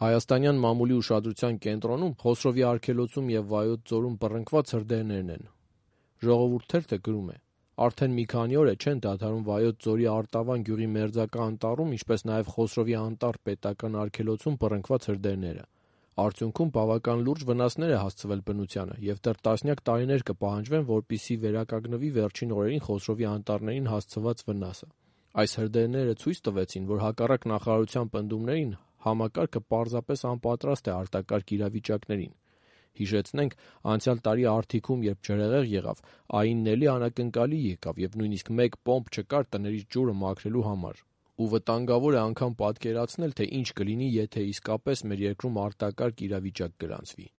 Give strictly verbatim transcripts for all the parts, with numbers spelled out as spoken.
Հայաստանյան մամուլի ուշադրության կենտրոնում Խոսրովի արգելոցում և Վայոց ձորում բռնկված հրդեհներն են։ Ժողովուրդ թերթը գրում է. Արդեն մի քանի օր է չեն դադարում Վայոց ձորի Արտավան գյուղի մերձակա անտառում, ինչպես նաև Խոսրովի անտառ պետական արգելոցում բռնկված հրդեհները։ Արդյունքում բավական լուրջ վնասներ է հասցվել բնությանը և դեռ տասնյակ տարիներ կպահանջվեն, որպեսզի վերականգնվի վերջին օրերին Խոսրովի անտառներին հասցված վնասը։ Այս հրդեհները ցույց տվեցին, որ հակառակ նախարարության պնդումներին համակարգը պարզապես անպատրաստ է արտակարգ իրավիճակներին։ Հիշեցնենք, անցյալ տարի Արթիքում, երբ ջրհեղեղ եղավ, ԱԻՆ-ն էլի անակնկալի եկավ և նույնիսկ մեկ պոմպ չկար տներից ջուրը մաքրելու համար։ Ու վտանգավոր է անգամ պատկերացնել, թե ինչ կլինի, եթե իսկապես մեր երկրում արտակարգ իրավիճակ գրանցվի։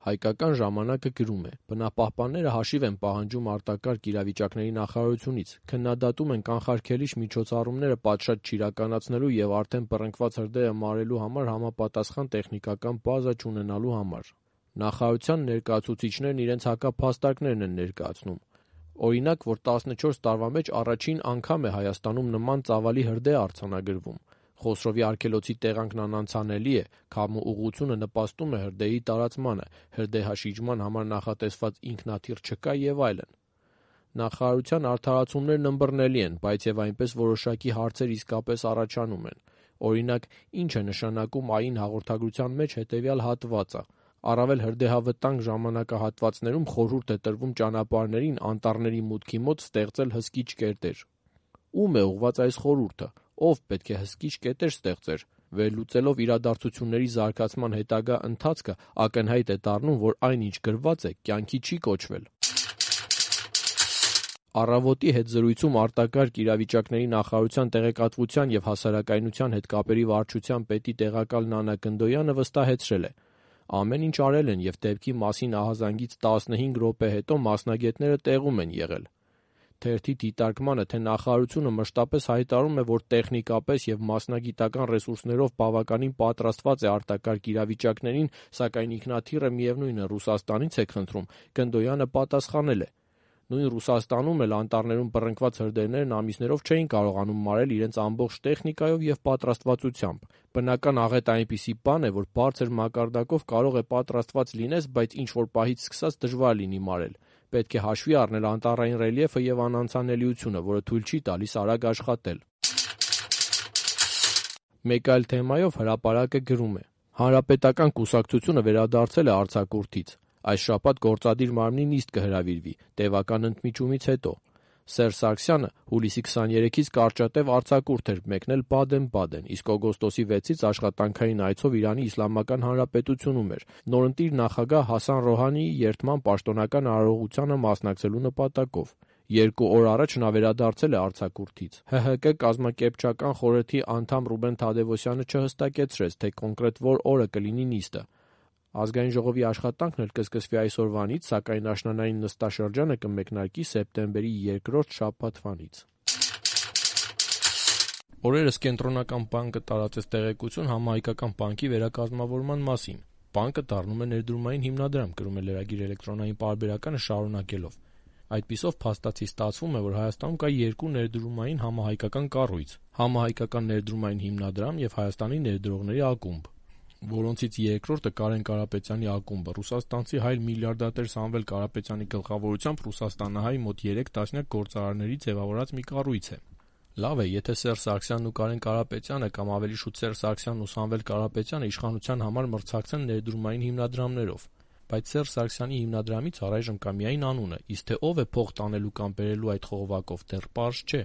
Հայկական ժամանակը գրում է. բնապահպանները հաշիվ են պահանջում արտակարգ իրավիճակների նախարարությունից, քննադատում են կանխարգելիչ միջոցառումները պատշաճ չիրականացնելու և արդեն բռնկված հրդեհը մարելու համար համապատասխան տեխնիկական բազա չունենալու համար։ Նախարարության ներկայացուցիչներն իրենց հակափաստարկներն են ներկայացնում։ Օրինակ, որ տասնչորս տարվա մեջ առաջին անգամ է Հայաստանում նման ծավալի հրդեհ արձանագրվում։ Խոսրովի արգելոցի տեղանքն անանցանելի է, քամու ուղղությունը նպաստում է հրդեհի տարածմանը, հրդեհաշիջման համար նախատեսված ինքնաթիռ չկա և այլն։ Նախարարության արդարացումներն ըմբռնելի են, բայց և այնպես որոշակի հարցեր իսկապես առաջանում են։ Օրինակ, ինչ է նշանակում ԱԻՆ հաղորդագրության մեջ հետևյալ հատվածը. առավել հրդեհավտանգ ժամանակահատվածներում խորհուրդ է տրվում ճանապարհներին անտառների մուտքի մոտ ստեղծել հսկիչ կետեր։ Ո՞ւմ է ուղղված այս խորհուրդը, ով պետք է հսկիչ կետեր ստեղծեր։ Վերլուծելով իրադարձությունների զարգացման հետագա ընթացքը ակնհայտ է դառնում, որ այն, ինչ գրված է, կյանքի չի կոչվել։ Առավոտի հետ զրույցում արտակարգ իրավիճակների նախարարության տեղեկատվության և հասարակայնության հետ կապերի վարչության պետի տեղակալ Նանա Գնդոյանը վստահեցրել է. ամեն ինչ արել են և դեպքի մասին ահազանգից տասնհինգ րոպե հետո մասնագետները տեղում են եղել։ Թերթի դիտարկմանը, թե նախարարությունը մշտապես հայտարարում է, որ տեխնիկապես և մասնագիտական ռեսուրսներով բավականին պատրաստված է արտակարգ իրավիճակներին, սակայն ինքնաթիռը միևնույն է Ռուսաստանից է խնդրում, Գնդոյանը պատասխանել է. նույն Ռուսաստանում էլ անտառներում բռնկված հրդեհներն ամիսներով չէին կարողանում մարել իրենց ամբողջ տեխնիկայով և պատրաստվածությամբ։ Բնական աղետը այնպիսի բան է, որ բարձր մակարդակով կարող է պատրաստված լինես, բայց ինչ-որ պահից սկսած դժվար լինի մարել։ Պետք է հաշվի առնել անտառային ռելիեֆը և անանցանելիությունը, որը թույլ չի տալիս արագ աշխատել։ Մեկ այլ թեմայով Հրապարակը գրում է. Հանրապետական կուսակցությունը վերադարձել է արձակուրդից։ Այս շաբաթ գործադիր մարմնի նիստ կհրավիրվի՝ տևական ընդմիջումից հետո։ Սերժ Սարգսյանը հուլիսի քսաներեքից կարճատև արձակուրդ էր մեկնել Բադեն-Բադեն, իսկ օգոստոսի վեցից աշխատանքային այցով Իրանի Իսլամական Հանրապետությունում էր՝ նորընտիր նախագահ Հասան Ռոհանիի երդման պաշտոնական արարողությանը մասնակցելու նպատակով։ Երկու օր առաջ նա վերադարձել է արձակուրդից։ ՀՀԿ կազմակերպչական խորհրդի անդամ Ռուբեն Թադևոսյանը չհստակեցրեց, թե կոնկրետ որ օրը կլինի նիստը։ Ազգային ժողովի աշխատանքն էլ կսկսվի այսօրվանից, սակայն աշնանային նստաշրջանը կմեկնարկի սեպտեմբերի երկրորդ շաբաթվանից։ Օրերս Կենտրոնական բանկը տարածեց տեղեկություն համահայկական բանկի վերակազմավորման մասին։ Բանկը դառնում է ներդրումային հիմնադրամ, գրում է Lragir էլեկտրոնային պարբերականը շարունակելով։ Այդպիսով փաստացի ստացվում է, որ Հայաստանում կա երկու ներդրումային համահայկական կառույց՝ Համահայկական ներդրումային հիմնադրամ և Հայաստանի ներդրողների ակումբ, որոնցից երկրորդը Կարեն Կարապետյանի ակումբը ռուսաստանցի հայ միլիարդատեր Սամվել Կարապետյանի գլխավորությամբ ռուսաստանահայ մոտ երեք տասնյակ գործարարների ձևավորած մի կառույց է։ Լավ է, եթե Սերժ Սարգսյանն ու Կարեն Կարապետյանը կամ ավելի շուտ Սերժ Սարգսյանն ու Սամվել Կարապետյանը իշխանության համար մրցակցեն ներդրումային հիմնադրամներով, բայց Սերժ Սարգսյանի հիմնադրամից առայժմ կա միայն անունը, իսկ թե ով է փող տանելու կամ բերելու այդ խողովակով, դեռ պարզ չէ։